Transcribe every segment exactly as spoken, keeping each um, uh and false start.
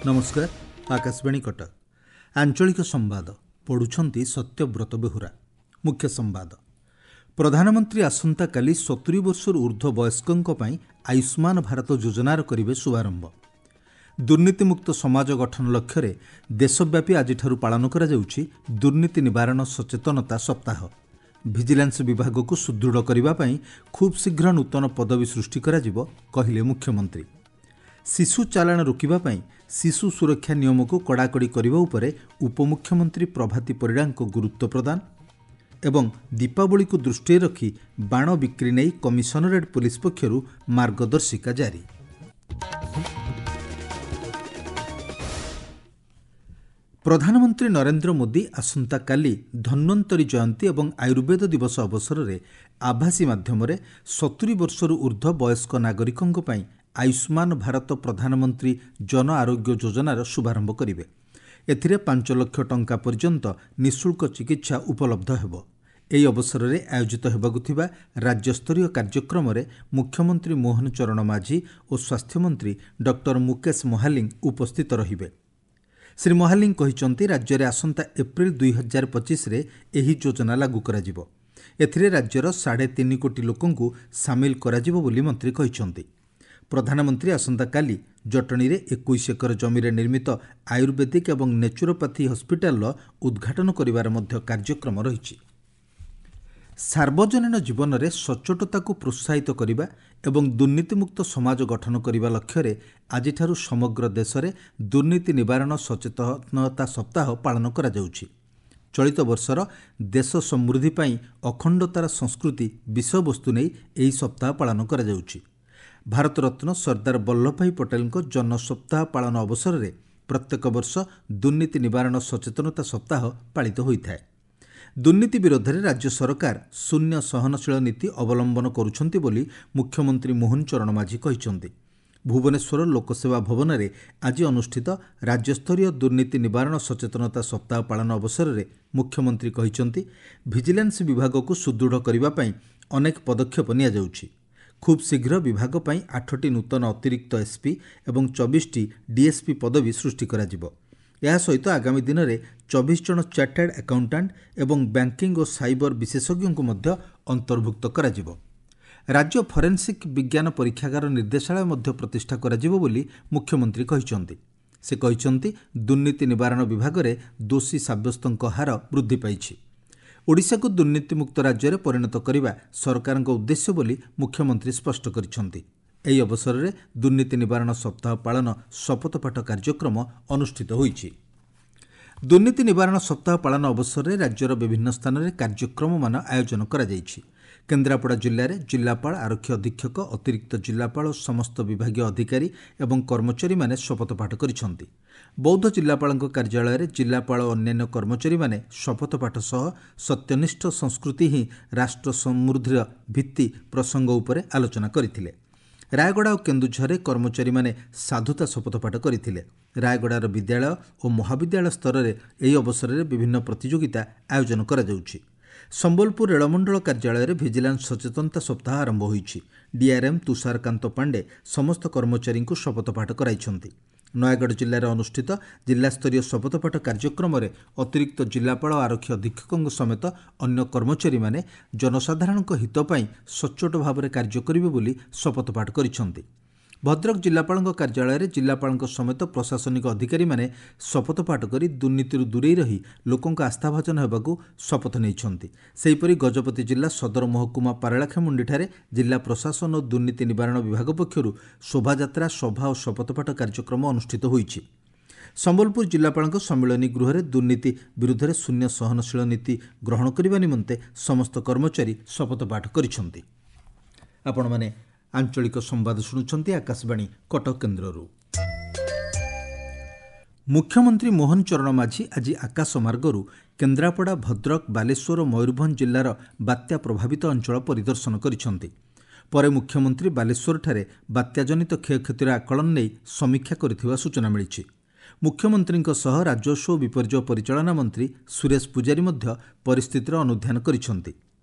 ନମସ୍କାର, ଆକାଶବାଣୀ କଟକ, ଆଞ୍ଚଳିକ ସମ୍ବାଦ ପଢ଼ୁଛନ୍ତି ସତ୍ୟବ୍ରତ ବେହୁରା। ମୁଖ୍ୟ ସମ୍ବାଦ। ପ୍ରଧାନମନ୍ତ୍ରୀ ଆସନ୍ତାକାଲି ସତୁରି ବର୍ଷରୁ ଊର୍ଦ୍ଧ୍ୱ ବୟସ୍କଙ୍କ ପାଇଁ ଆୟୁଷ୍ମାନ ଭାରତ ଯୋଜନାର କରିବେ ଶୁଭାରମ୍ଭ। ଦୁର୍ନୀତିମୁକ୍ତ ସମାଜ ଗଠନ ଲକ୍ଷ୍ୟରେ ଦେଶବ୍ୟାପୀ ଆଜିଠାରୁ ପାଳନ କରାଯାଉଛି ଦୁର୍ନୀତି ନିବାରଣ ସଚେତନତା ସପ୍ତାହ। ଭିଜିଲାନ୍ସ ବିଭାଗକୁ ସୁଦୃଢ଼ କରିବା ପାଇଁ ଖୁବ୍ ଶୀଘ୍ର ନୂତନ ପଦବୀ ସୃଷ୍ଟି କରାଯିବ, କହିଲେ ମୁଖ୍ୟମନ୍ତ୍ରୀ। ଶିଶୁ ଚାଲାଣ ରୋକିବା ପାଇଁ ଶିଶୁ ସୁରକ୍ଷା ନିୟମକୁ କଡ଼ାକଡ଼ି କରିବା ଉପରେ ଉପମୁଖ୍ୟମନ୍ତ୍ରୀ ପ୍ରଭାତୀ ପରିଡ଼ାଙ୍କ ଗୁରୁତ୍ୱ ପ୍ରଦାନ। ଏବଂ ଦୀପାବଳିକୁ ଦୃଷ୍ଟିରେ ରଖି ବାଣ ବିକ୍ରି ନେଇ କମିଶନରେଟ୍ ପୋଲିସ ପକ୍ଷରୁ ମାର୍ଗଦର୍ଶିକା ଜାରି। ପ୍ରଧାନମନ୍ତ୍ରୀ ନରେନ୍ଦ୍ର ମୋଦି ଆସନ୍ତାକାଲି ଧନ୍ୱନ୍ତରୀ ଜୟନ୍ତୀ ଏବଂ ଆୟୁର୍ବେଦ ଦିବସ ଅବସରରେ ଆଭାସୀ ମାଧ୍ୟମରେ ସତୁରି ବର୍ଷରୁ ଊର୍ଦ୍ଧ୍ୱ ବୟସ୍କ ନାଗରିକଙ୍କ ପାଇଁ ଆୟୁଷ୍ମାନ ଭାରତ ପ୍ରଧାନମନ୍ତ୍ରୀ ଜନ ଆରୋଗ୍ୟ ଯୋଜନାର ଶୁଭାରମ୍ଭ କରିବେ। ଏଥିରେ ପାଞ୍ଚ ଲକ୍ଷ ଟଙ୍କା ପର୍ଯ୍ୟନ୍ତ ନିଃଶୁଳ୍କ ଚିକିତ୍ସା ଉପଲବ୍ଧ ହେବ। ଏହି ଅବସରରେ ଆୟୋଜିତ ହେବାକୁ ଥିବା ରାଜ୍ୟସ୍ତରୀୟ କାର୍ଯ୍ୟକ୍ରମରେ ମୁଖ୍ୟମନ୍ତ୍ରୀ ମୋହନ ଚରଣ ମାଝୀ ଓ ସ୍ୱାସ୍ଥ୍ୟମନ୍ତ୍ରୀ ଡକ୍ଟର ମୁକେଶ ମହାଲିଙ୍ଗ ଉପସ୍ଥିତ ରହିବେ। ଶ୍ରୀ ମହାଲିଙ୍ଗ କହିଛନ୍ତି, ରାଜ୍ୟରେ ଆସନ୍ତା ଏପ୍ରିଲ ଦୁଇ ହଜାର ପଚିଶରେ ଏହି ଯୋଜନା ଲାଗୁ କରାଯିବ। ଏଥିରେ ରାଜ୍ୟର ସାଢ଼େ ତିନି କୋଟି ଲୋକଙ୍କୁ ସାମିଲ କରାଯିବ ବୋଲି ମନ୍ତ୍ରୀ କହିଛନ୍ତି। ପ୍ରଧାନମନ୍ତ୍ରୀ ଆସନ୍ତାକାଲି ଜଟଣୀରେ ଏକୋଇଶ ଏକର ଜମିରେ ନିର୍ମିତ ଆୟୁର୍ବେଦିକ ଏବଂ ନେଚୁରୋପାଥି ହସ୍ପିଟାଲର ଉଦ୍ଘାଟନ କରିବାର ମଧ୍ୟ କାର୍ଯ୍ୟକ୍ରମ ରହିଛି। ସାର୍ବଜନୀନ ଜୀବନରେ ସଚ୍ଚୋଟତାକୁ ପ୍ରୋତ୍ସାହିତ କରିବା ଏବଂ ଦୁର୍ନୀତିମୁକ୍ତ ସମାଜ ଗଠନ କରିବା ଲକ୍ଷ୍ୟରେ ଆଜିଠାରୁ ସମଗ୍ର ଦେଶରେ ଦୁର୍ନୀତି ନିବାରଣ ସଚେତନତା ସପ୍ତାହ ପାଳନ କରାଯାଉଛି। ଚଳିତ ବର୍ଷର ଦେଶ ସମୃଦ୍ଧି ପାଇଁ ଅଖଣ୍ଡତାର ସଂସ୍କୃତି ବିଷୟବସ୍ତୁ ନେଇ ଏହି ସପ୍ତାହ ପାଳନ କରାଯାଉଛି। ଭାରତରତ୍ନ ସର୍ଦ୍ଦାର ବଲ୍ଲଭଭାଇ ପଟେଲଙ୍କ ଜନ୍ମ ସପ୍ତାହ ପାଳନ ଅବସରରେ ପ୍ରତ୍ୟେକ ବର୍ଷ ଦୁର୍ନୀତି ନିବାରଣ ସଚେତନତା ସପ୍ତାହ ପାଳିତ ହୋଇଥାଏ। ଦୁର୍ନୀତି ବିରୋଧରେ ରାଜ୍ୟ ସରକାର ଶୂନ୍ୟ ସହନଶୀଳ ନୀତି ଅବଲମ୍ବନ କରୁଛନ୍ତି ବୋଲି ମୁଖ୍ୟମନ୍ତ୍ରୀ ମୋହନ ଚରଣ ମାଝୀ କହିଛନ୍ତି। ଭୁବନେଶ୍ୱର ଲୋକସେବା ଭବନରେ ଆଜି ଅନୁଷ୍ଠିତ ରାଜ୍ୟସ୍ତରୀୟ ଦୁର୍ନୀତି ନିବାରଣ ସଚେତନତା ସପ୍ତାହ ପାଳନ ଅବସରରେ ମୁଖ୍ୟମନ୍ତ୍ରୀ କହିଛନ୍ତି, ଭିଜିଲାନ୍ସ ବିଭାଗକୁ ସୁଦୃଢ଼ କରିବା ପାଇଁ ଅନେକ ପଦକ୍ଷେପ ନିଆଯାଉଛି। ଖୁବ୍ ଶୀଘ୍ର ବିଭାଗ ପାଇଁ ଆଠଟି ନୂତନ ଅତିରିକ୍ତ ଏସ୍ପି ଏବଂ ଚବିଶଟି ଡିଏସ୍ପି ପଦବୀ ସୃଷ୍ଟି କରାଯିବ। ଏହା ସହିତ ଆଗାମୀ ଦିନରେ ଚବିଶ ଜଣ ଚାର୍ଟାର୍ଡ ଆକାଉଣ୍ଟାଣ୍ଟ ଏବଂ ବ୍ୟାଙ୍କିଂ ଓ ସାଇବର ବିଶେଷଜ୍ଞଙ୍କୁ ମଧ୍ୟ ଅନ୍ତର୍ଭୁକ୍ତ କରାଯିବ। ରାଜ୍ୟ ଫରେନ୍ସିକ୍ ବିଜ୍ଞାନ ପରୀକ୍ଷାଗାର ନିର୍ଦ୍ଦେଶାଳୟ ମଧ୍ୟ ପ୍ରତିଷ୍ଠା କରାଯିବ ବୋଲି ମୁଖ୍ୟମନ୍ତ୍ରୀ କହିଛନ୍ତି। ସେ କହିଛନ୍ତି, ଦୁର୍ନୀତି ନିବାରଣ ବିଭାଗରେ ଦୋଷୀ ସାବ୍ୟସ୍ତଙ୍କ ହାର ବୃଦ୍ଧି ପାଇଛି। ଓଡ଼ିଶାକୁ ଦୁର୍ନୀତିମୁକ୍ତ ରାଜ୍ୟରେ ପରିଣତ କରିବା ସରକାରଙ୍କ ଉଦ୍ଦେଶ୍ୟ ବୋଲି ମୁଖ୍ୟମନ୍ତ୍ରୀ ସ୍ପଷ୍ଟ କରିଛନ୍ତି। ଏହି ଅବସରରେ ଦୁର୍ନୀତି ନିବାରଣ ସପ୍ତାହ ପାଳନ ଶପଥପାଠ କାର୍ଯ୍ୟକ୍ରମ ଅନୁଷ୍ଠିତ ହୋଇଛି। ଦୁର୍ନୀତି ନିବାରଣ ସପ୍ତାହ ପାଳନ ଅବସରରେ ରାଜ୍ୟର ବିଭିନ୍ନ ସ୍ଥାନରେ କାର୍ଯ୍ୟକ୍ରମମାନ ଆୟୋଜନ କରାଯାଇଛି। କେନ୍ଦ୍ରାପଡ଼ା ଜିଲ୍ଲାରେ ଜିଲ୍ଲାପାଳ, ଆରକ୍ଷୀ ଅଧୀକ୍ଷକ, ଅତିରିକ୍ତ ଜିଲ୍ଲାପାଳ ଓ ସମସ୍ତ ବିଭାଗୀୟ ଅଧିକାରୀ ଏବଂ କର୍ମଚାରୀମାନେ ଶପଥପାଠ କରିଛନ୍ତି। ବୌଦ୍ଧ ଜିଲ୍ଲାପାଳଙ୍କ କାର୍ଯ୍ୟାଳୟରେ ଜିଲ୍ଲାପାଳ ଓ ଅନ୍ୟାନ୍ୟ କର୍ମଚାରୀମାନେ ଶପଥପାଠ ସହ ସତ୍ୟନିଷ୍ଠ ସଂସ୍କୃତି ହିଁ ରାଷ୍ଟ୍ର ସମୃଦ୍ଧିର ଭିତ୍ତି ପ୍ରସଙ୍ଗ ଉପରେ ଆଲୋଚନା କରିଥିଲେ। ରାୟଗଡ଼ା ଓ କେନ୍ଦୁଝରରେ କର୍ମଚାରୀମାନେ ସାଧୁତା ଶପଥପାଠ କରିଥିଲେ। ରାୟଗଡ଼ାର ବିଦ୍ୟାଳୟ ଓ ମହାବିଦ୍ୟାଳୟ ସ୍ତରରେ ଏହି ଅବସରରେ ବିଭିନ୍ନ ପ୍ରତିଯୋଗିତା ଆୟୋଜନ କରାଯାଉଛି। ସମ୍ବଲପୁର ରେଳମଣ୍ଡଳ କାର୍ଯ୍ୟାଳୟରେ ଭିଜିଲାନ୍ସ ସଚେତନତା ସପ୍ତାହ ଆରମ୍ଭ ହୋଇଛି। ଡିଆର୍ଏମ୍ ତୁଷାରକାନ୍ତ ପାଣ୍ଡେ ସମସ୍ତ କର୍ମଚାରୀଙ୍କୁ ଶପଥପାଠ କରାଇଛନ୍ତି। ନୟାଗଡ଼ ଜିଲ୍ଲାରେ ଅନୁଷ୍ଠିତ ଜିଲ୍ଲାସ୍ତରୀୟ ଶପଥପାଠ କାର୍ଯ୍ୟକ୍ରମରେ ଅତିରିକ୍ତ ଜିଲ୍ଲାପାଳ ଓ ଆରକ୍ଷୀ ଅଧୀକ୍ଷକଙ୍କ ସମେତ ଅନ୍ୟ କର୍ମଚାରୀମାନେ ଜନସାଧାରଣଙ୍କ ହିତ ପାଇଁ ସଚ୍ଚୋଟ ଭାବରେ କାର୍ଯ୍ୟ କରିବେ ବୋଲି ଶପଥପାଠ କରିଛନ୍ତି। ଭଦ୍ରକ ଜିଲ୍ଲାପାଳଙ୍କ କାର୍ଯ୍ୟାଳୟରେ ଜିଲ୍ଲାପାଳଙ୍କ ସମେତ ପ୍ରଶାସନିକ ଅଧିକାରୀମାନେ ଶପଥପାଠ କରି ଦୁର୍ନୀତିରୁ ଦୂରେଇ ରହି ଲୋକଙ୍କ ଆସ୍ଥାଭାଜନ ହେବାକୁ ଶପଥ ନେଇଛନ୍ତି। ସେହିପରି ଗଜପତି ଜିଲ୍ଲା ସଦର ମହକୁମା ପାରଳାଖେମୁଣ୍ଡିଠାରେ ଜିଲ୍ଲା ପ୍ରଶାସନ ଓ ଦୁର୍ନୀତି ନିବାରଣ ବିଭାଗ ପକ୍ଷରୁ ଶୋଭାଯାତ୍ରା, ସଭା ଓ ଶପଥପାଠ କାର୍ଯ୍ୟକ୍ରମ ଅନୁଷ୍ଠିତ ହୋଇଛି। ସମ୍ବଲପୁର ଜିଲ୍ଲାପାଳଙ୍କ ସମ୍ମିଳନୀ ଗୃହରେ ଦୁର୍ନୀତି ବିରୁଦ୍ଧରେ ଶୂନ୍ୟ ସହନଶୀଳ ନୀତି ଗ୍ରହଣ କରିବା ନିମନ୍ତେ ସମସ୍ତ କର୍ମଚାରୀ ଶପଥପାଠ କରିଛନ୍ତି। ଆପଣମାନେ ଆଞ୍ଚଳିକ ସମ୍ବାଦ ଶୁଣୁଛନ୍ତି ଆକାଶବାଣୀ କଟକ କେନ୍ଦ୍ରରୁ। ମୁଖ୍ୟମନ୍ତ୍ରୀ ମୋହନ ଚରଣ ମାଝୀ ଆଜି ଆକାଶ ମାର୍ଗରୁ କେନ୍ଦ୍ରାପଡ଼ା, ଭଦ୍ରକ, ବାଲେଶ୍ୱର ଓ ମୟୂରଭଞ୍ଜ ଜିଲ୍ଲାର ବାତ୍ୟା ପ୍ରଭାବିତ ଅଞ୍ଚଳ ପରିଦର୍ଶନ କରିଛନ୍ତି। ପରେ ମୁଖ୍ୟମନ୍ତ୍ରୀ ବାଲେଶ୍ୱରଠାରେ ବାତ୍ୟାଜନିତ କ୍ଷୟକ୍ଷତିର ଆକଳନ ନେଇ ସମୀକ୍ଷା କରିଥିବା ସୂଚନା ମିଳିଛି। ମୁଖ୍ୟମନ୍ତ୍ରୀଙ୍କ ସହ ରାଜସ୍ୱ ଓ ବିପର୍ଯ୍ୟୟ ପରିଚାଳନା ମନ୍ତ୍ରୀ ସୁରେଶ ପୂଜାରୀ ମଧ୍ୟ ପରିସ୍ଥିତିର ଅନୁଧ୍ୟାନ କରିଛନ୍ତି।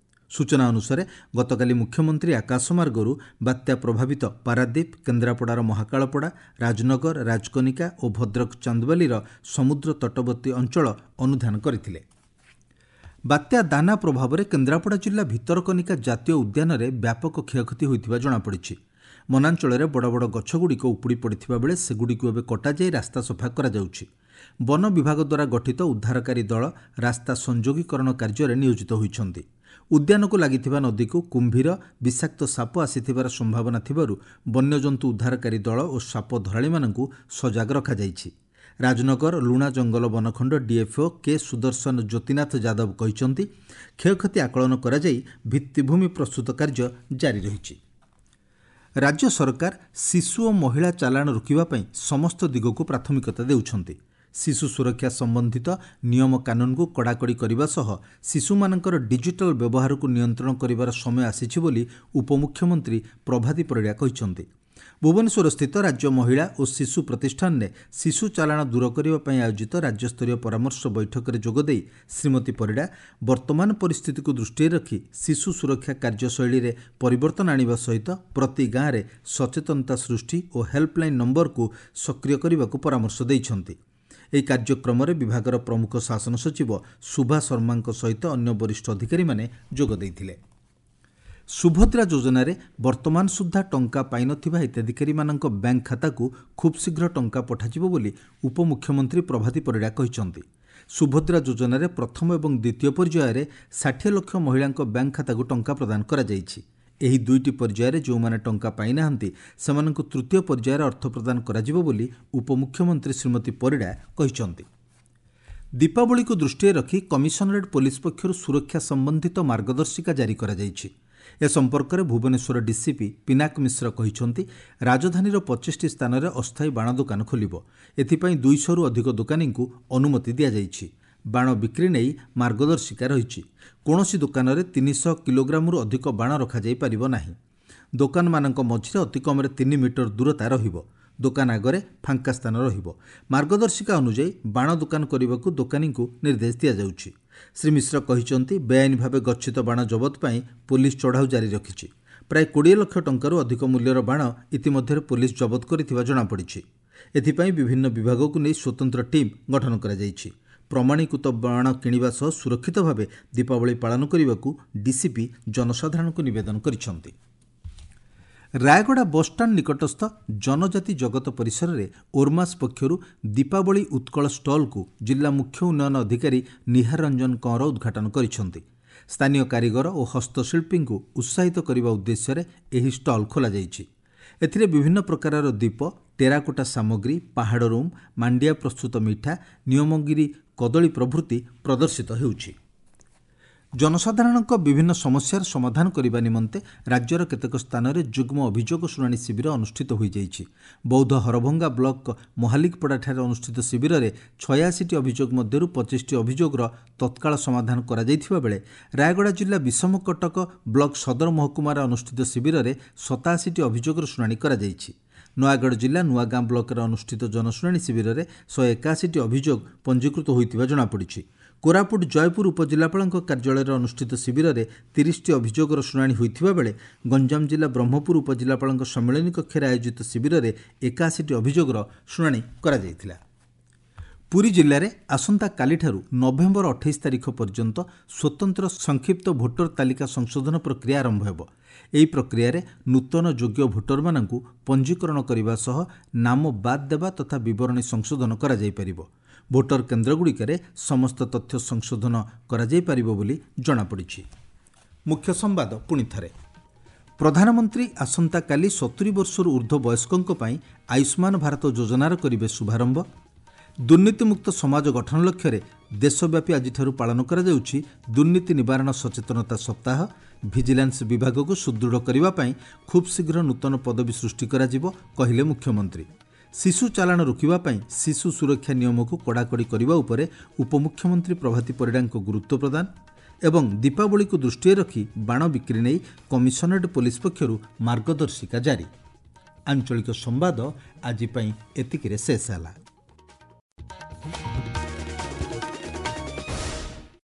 ସୂଚନା ଅନୁସାରେ ଗତକାଲି ମୁଖ୍ୟମନ୍ତ୍ରୀ ଆକାଶମାର୍ଗରୁ ବାତ୍ୟା ପ୍ରଭାବିତ ପାରାଦୀପ, କେନ୍ଦ୍ରାପଡ଼ାର ମହାକାଳପଡ଼ା, ରାଜନଗର, ରାଜକନିକା ଓ ଭଦ୍ରକ ଚାନ୍ଦବାଲିର ସମୁଦ୍ର ତଟବର୍ତ୍ତୀ ଅଞ୍ଚଳ ଅନୁଧ୍ୟାନ କରିଥିଲେ। ବାତ୍ୟା ଦାନା ପ୍ରଭାବରେ କେନ୍ଦ୍ରାପଡ଼ା ଜିଲ୍ଲା ଭିତରକନିକା ଜାତୀୟ ଉଦ୍ୟାନରେ ବ୍ୟାପକ କ୍ଷୟକ୍ଷତି ହୋଇଥିବା ଜଣାପଡ଼ିଛି। ବନାଞ୍ଚଳରେ ବଡ଼ ବଡ଼ ଗଛଗୁଡ଼ିକ ଉପୁଡ଼ି ପଡ଼ିଥିବା ବେଳେ ସେଗୁଡ଼ିକୁ ଏବେ କଟାଯାଇ ରାସ୍ତା ସଫା କରାଯାଉଛି। ବନ ବିଭାଗ ଦ୍ୱାରା ଗଠିତ ଉଦ୍ଧାରକାରୀ ଦଳ ରାସ୍ତା ସଂଯୋଗୀକରଣ କାର୍ଯ୍ୟରେ ନିୟୋଜିତ ହୋଇଛନ୍ତି। ଉଦ୍ୟାନକୁ ଲାଗିଥିବା ନଦୀକୁ କୁମ୍ଭୀର, ବିଷାକ୍ତ ସାପ ଆସିଥିବାର ସମ୍ଭାବନା ଥିବାରୁ ବନ୍ୟଜନ୍ତୁ ଉଦ୍ଧାରକାରୀ ଦଳ ଓ ସାପ ଧରାଳିମାନଙ୍କୁ ସଜାଗ ରଖାଯାଇଛି। ରାଜନଗର ଲୁଣା ଜଙ୍ଗଲ ବନଖଣ୍ଡ ଡିଏଫ୍ଓ କେ ସୁଦର୍ଶନ ଜ୍ୟୋତିନାଥ ଯାଦବ କହିଛନ୍ତି, କ୍ଷୟକ୍ଷତି ଆକଳନ କରାଯାଇ ଭିତ୍ତିଭୂମି ପ୍ରସ୍ତୁତ କାର୍ଯ୍ୟ ଜାରି ରହିଛି। ରାଜ୍ୟ ସରକାର ଶିଶୁ ଓ ମହିଳା ଚାଲାଣ ରୋକିବା ପାଇଁ ସମସ୍ତ ଦିଗକୁ ପ୍ରାଥମିକତା ଦେଉଛନ୍ତି। ଶିଶୁ ସୁରକ୍ଷା ସମ୍ବନ୍ଧିତ ନିୟମ କାନୁନକୁ କଡ଼ାକଡ଼ି କରିବା ସହ ଶିଶୁମାନଙ୍କର ଡିଜିଟାଲ ବ୍ୟବହାରକୁ ନିୟନ୍ତ୍ରଣ କରିବାର ସମୟ ଆସିଛି ବୋଲି ଉପମୁଖ୍ୟମନ୍ତ୍ରୀ ପ୍ରଭାତୀ ପରିଡ଼ା କହିଛନ୍ତି। ଭୁବନେଶ୍ୱରସ୍ଥିତ ରାଜ୍ୟ ମହିଳା ଓ ଶିଶୁ ପ୍ରତିଷ୍ଠାନରେ ଶିଶୁ ଚାଲାଣ ଦୂର କରିବା ପାଇଁ ଆୟୋଜିତ ରାଜ୍ୟସ୍ତରୀୟ ପରାମର୍ଶ ବୈଠକରେ ଯୋଗଦେଇ ଶ୍ରୀମତୀ ପରିଡ଼ା ବର୍ତ୍ତମାନ ପରିସ୍ଥିତିକୁ ଦୃଷ୍ଟିରେ ରଖି ଶିଶୁ ସୁରକ୍ଷା କାର୍ଯ୍ୟଶୈଳୀରେ ପରିବର୍ତ୍ତନ ଆଣିବା ସହିତ ପ୍ରତି ଗାଁରେ ସଚେତନତା ସୃଷ୍ଟି ଓ ହେଲ୍ପଲାଇନ୍ ନମ୍ବରକୁ ସକ୍ରିୟ କରିବାକୁ ପରାମର୍ଶ ଦେଇଛନ୍ତି। ଏହି କାର୍ଯ୍ୟକ୍ରମରେ ବିଭାଗର ପ୍ରମୁଖ ଶାସନ ସଚିବ ସୁଭା ଶର୍ମାଙ୍କ ସହିତ ଅନ୍ୟ ବରିଷ୍ଠ ଅଧିକାରୀମାନେ ଯୋଗ ଦେଇଥିଲେ। ସୁଭଦ୍ରା ଯୋଜନାରେ ବର୍ତ୍ତମାନ ସୁଦ୍ଧା ଟଙ୍କା ପାଇନଥିବା ହିତାଧିକାରୀମାନଙ୍କ ବ୍ୟାଙ୍କ ଖାତାକୁ ଖୁବ୍ ଶୀଘ୍ର ଟଙ୍କା ପଠାଯିବ ବୋଲି ଉପମୁଖ୍ୟମନ୍ତ୍ରୀ ପ୍ରଭାତୀ ପରିଡ଼ା କହିଛନ୍ତି। ସୁଭଦ୍ରା ଯୋଜନାରେ ପ୍ରଥମ ଏବଂ ଦ୍ୱିତୀୟ ପର୍ଯ୍ୟାୟରେ ଷାଠିଏ ଲକ୍ଷ ମହିଳାଙ୍କ ବ୍ୟାଙ୍କ ଖାତାକୁ ଟଙ୍କା ପ୍ରଦାନ କରାଯାଇଛି। ଏହି ଦୁଇଟି ପର୍ଯ୍ୟାୟରେ ଯେଉଁମାନେ ଟଙ୍କା ପାଇନାହାନ୍ତି ସେମାନଙ୍କୁ ତୃତୀୟ ପର୍ଯ୍ୟାୟରେ ଅର୍ଥ ପ୍ରଦାନ କରାଯିବ ବୋଲି ଉପମୁଖ୍ୟମନ୍ତ୍ରୀ ଶ୍ରୀମତୀ ପରିଡ଼ା କହିଛନ୍ତି। ଦୀପାବଳିକୁ ଦୃଷ୍ଟିରେ ରଖି କମିଶନରେଟ୍ ପୋଲିସ ପକ୍ଷରୁ ସୁରକ୍ଷା ସମ୍ବନ୍ଧିତ ମାର୍ଗଦର୍ଶିକା ଜାରି କରାଯାଇଛି। ଏ ସମ୍ପର୍କରେ ଭୁବନେଶ୍ୱର ଡିସିପି ପିନାକ ମିଶ୍ର କହିଛନ୍ତି, ରାଜଧାନୀର ପଚିଶଟି ସ୍ଥାନରେ ଅସ୍ଥାୟୀ ବାଣ ଦୋକାନ ଖୋଲିବ। ଏଥିପାଇଁ ଦୁଇଶହରୁ ଅଧିକ ଦୋକାନୀଙ୍କୁ ଅନୁମତି ଦିଆଯାଇଛି। ବାଣ ବିକ୍ରି ନେଇ ମାର୍ଗଦର୍ଶିକା ରହିଛି। କୌଣସି ଦୋକାନରେ ତିନିଶହ କିଲୋଗ୍ରାମରୁ ଅଧିକ ବାଣ ରଖାଯାଇପାରିବ ନାହିଁ। ଦୋକାନମାନଙ୍କ ମଝିରେ ଅତିକମ୍ରେ ତିନି ମିଟର ଦୂରତା ରହିବ। ଦୋକାନ ଆଗରେ ଫାଙ୍କା ସ୍ଥାନ ରହିବ। ମାର୍ଗଦର୍ଶିକା ଅନୁଯାୟୀ ବାଣ ଦୋକାନ କରିବାକୁ ଦୋକାନୀଙ୍କୁ ନିର୍ଦ୍ଦେଶ ଦିଆଯାଉଛି। ଶ୍ରୀ ମିଶ୍ର କହିଛନ୍ତି, ବେଆଇନ ଭାବେ ଗଚ୍ଛିତ ବାଣ ଜବତ ପାଇଁ ପୋଲିସ ଚଢ଼ାଉ ଜାରି ରଖିଛି। ପ୍ରାୟ କୋଡ଼ିଏ ଲକ୍ଷ ଟଙ୍କାରୁ ଅଧିକ ମୂଲ୍ୟର ବାଣ ଇତିମଧ୍ୟରେ ପୋଲିସ ଜବତ କରିଥିବା ଜଣାପଡ଼ିଛି। ଏଥିପାଇଁ ବିଭିନ୍ନ ବିଭାଗକୁ ନେଇ ସ୍ୱତନ୍ତ୍ର ଟିମ୍ ଗଠନ କରାଯାଇଛି। ପ୍ରମାଣୀକୃତ ବାଣ କିଣିବା ସହ ସୁରକ୍ଷିତ ଭାବେ ଦୀପାବଳି ପାଳନ କରିବାକୁ ଡିସିପି ଜନସାଧାରଣଙ୍କୁ ନିବେଦନ କରିଛନ୍ତି। ରାୟଗଡ଼ା ବସ୍ଷ୍ଟାଣ୍ଡ ନିକଟସ୍ଥ ଜନଜାତି ଜଗତ ପରିସରରେ ଓର୍ମାସ୍ ପକ୍ଷରୁ ଦୀପାବଳି ଉତ୍କଳ ଷ୍ଟଲ୍କୁ ଜିଲ୍ଲା ମୁଖ୍ୟ ଉନ୍ନୟନ ଅଧିକାରୀ ନିହାର ରଞ୍ଜନ କଅଁର ଉଦ୍ଘାଟନ କରିଛନ୍ତି। ସ୍ଥାନୀୟ କାରିଗର ଓ ହସ୍ତଶିଳ୍ପୀଙ୍କୁ ଉତ୍ସାହିତ କରିବା ଉଦ୍ଦେଶ୍ୟରେ ଏହି ଷ୍ଟଲ୍ ଖୋଲାଯାଇଛି। ଏଥିରେ ବିଭିନ୍ନ ପ୍ରକାରର ଦୀପ, ଟେରାକୋଟା ସାମଗ୍ରୀ, ପାହାଡ଼ ରୁମ୍, ମାଣ୍ଡିଆ ପ୍ରସ୍ତୁତ ମିଠା, ନିୟମଗିରି କଦଳୀ ପ୍ରଭୃତି ପ୍ରଦର୍ଶିତ ହେଉଛି। ଜନସାଧାରଣଙ୍କ ବିଭିନ୍ନ ସମସ୍ୟାର ସମାଧାନ କରିବା ନିମନ୍ତେ ରାଜ୍ୟର କେତେକ ସ୍ଥାନରେ ଯୁଗ୍ମ ଅଭିଯୋଗ ଶୁଣାଣି ଶିବିର ଅନୁଷ୍ଠିତ ହୋଇଯାଇଛି। ବୌଦ୍ଧ ହରଭଙ୍ଗା ବ୍ଲକ ମହାଲିକପଡ଼ାଠାରେ ଅନୁଷ୍ଠିତ ଶିବିରରେ ଛୟାଅଶୀଟି ଅଭିଯୋଗ ମଧ୍ୟରୁ ପଚିଶଟି ଅଭିଯୋଗର ତତ୍କାଳ ସମାଧାନ କରାଯାଇଥିବା ବେଳେ ରାୟଗଡ଼ା ଜିଲ୍ଲା ବିଷମକଟକ ବ୍ଲକ ସଦର ମହକୁମାରେ ଅନୁଷ୍ଠିତ ଶିବିରରେ ସତାଅଶୀଟି ଅଭିଯୋଗର ଶୁଣାଣି କରାଯାଇଛି। ନୟାଗଡ଼ ଜିଲ୍ଲା ନୂଆଗାଁ ବ୍ଲକରେ ଅନୁଷ୍ଠିତ ଜନଶୁଣାଣି ଶିବିରରେ ଶହେ ଏକାଅଶୀଟି ଅଭିଯୋଗ ପଞ୍ଜୀକୃତ ହୋଇଥିବା ଜଣାପଡ଼ିଛି। କୋରାପୁଟ ଜୟପୁର ଉପଜିଲ୍ଲାପାଳଙ୍କ କାର୍ଯ୍ୟାଳୟରେ ଅନୁଷ୍ଠିତ ଶିବିରରେ ତିରିଶଟି ଅଭିଯୋଗର ଶୁଣାଣି ହୋଇଥିବା ବେଳେ ଗଞ୍ଜାମ ଜିଲ୍ଲା ବ୍ରହ୍ମପୁର ଉପଜିଲ୍ଲାପାଳଙ୍କ ସମ୍ମିଳନୀ କକ୍ଷରେ ଆୟୋଜିତ ଶିବିରରେ ଏକାଅଶୀଟି ଅଭିଯୋଗର ଶୁଣାଣି କରାଯାଇଥିଲା। ପୁରୀ ଜିଲ୍ଲାରେ ଆସନ୍ତାକାଲିଠାରୁ ନଭେମ୍ବର ଅଠେଇଶ ତାରିଖ ପର୍ଯ୍ୟନ୍ତ ସ୍ୱତନ୍ତ୍ର ସଂକ୍ଷିପ୍ତ ଭୋଟର ତାଲିକା ସଂଶୋଧନ ପ୍ରକ୍ରିୟା ଆରମ୍ଭ ହେବ। ଏହି ପ୍ରକ୍ରିୟାରେ ନୂତନ ଯୋଗ୍ୟ ଭୋଟରମାନଙ୍କୁ ପଞ୍ଜୀକରଣ କରିବା ସହ ନାମ ବାଦ୍ ଦେବା ତଥା ବିବରଣୀ ସଂଶୋଧନ କରାଯାଇପାରିବ। ଭୋଟର କେନ୍ଦ୍ରଗୁଡ଼ିକରେ ସମସ୍ତ ତଥ୍ୟ ସଂଶୋଧନ କରାଯାଇପାରିବ ବୋଲି ଜଣାପଡ଼ିଛି। ମୁଖ୍ୟ ସମ୍ବାଦ ପୁଣି ଥରେ। ପ୍ରଧାନମନ୍ତ୍ରୀ ଆସନ୍ତାକାଲି ସତୁରି ବର୍ଷରୁ ଊର୍ଦ୍ଧ୍ୱ ବୟସ୍କଙ୍କ ପାଇଁ ଆୟୁଷ୍ମାନ ଭାରତ ଯୋଜନାର କରିବେ ଶୁଭାରମ୍ଭ। ଦୁର୍ନୀତିମୁକ୍ତ ସମାଜ ଗଠନ ଲକ୍ଷ୍ୟରେ ଦେଶବ୍ୟାପୀ ଆଜିଠାରୁ ପାଳନ କରାଯାଉଛି ଦୁର୍ନୀତି ନିବାରଣ ସଚେତନତା ସପ୍ତାହ। ଭିଜିଲାନ୍ସ ବିଭାଗକୁ ସୁଦୃଢ଼ କରିବା ପାଇଁ ଖୁବ୍ ଶୀଘ୍ର ନୂତନ ପଦବୀ ସୃଷ୍ଟି କରାଯିବ କହିଲେ ମୁଖ୍ୟମନ୍ତ୍ରୀ। ଶିଶୁ ଚାଲାଣ ରୋକିବା ପାଇଁ ଶିଶୁ ସୁରକ୍ଷା ନିୟମକୁ କଡ଼ାକଡ଼ି କରିବା ଉପରେ ଉପମୁଖ୍ୟମନ୍ତ୍ରୀ ପ୍ରଭାତୀ ପରିଡ଼ାଙ୍କ ଗୁରୁତ୍ୱ ପ୍ରଦାନ ଏବଂ ଦୀପାବଳିକୁ ଦୃଷ୍ଟିରେ ରଖି ବାଣ ବିକ୍ରି ନେଇ କମିଶନରେଟ୍ ପୋଲିସ ପକ୍ଷରୁ ମାର୍ଗଦର୍ଶିକା ଜାରି। ଆଞ୍ଚଳିକ ସମ୍ବାଦ ଆଜି ପାଇଁ ଏତିକିରେ ଶେଷ ହେଲା।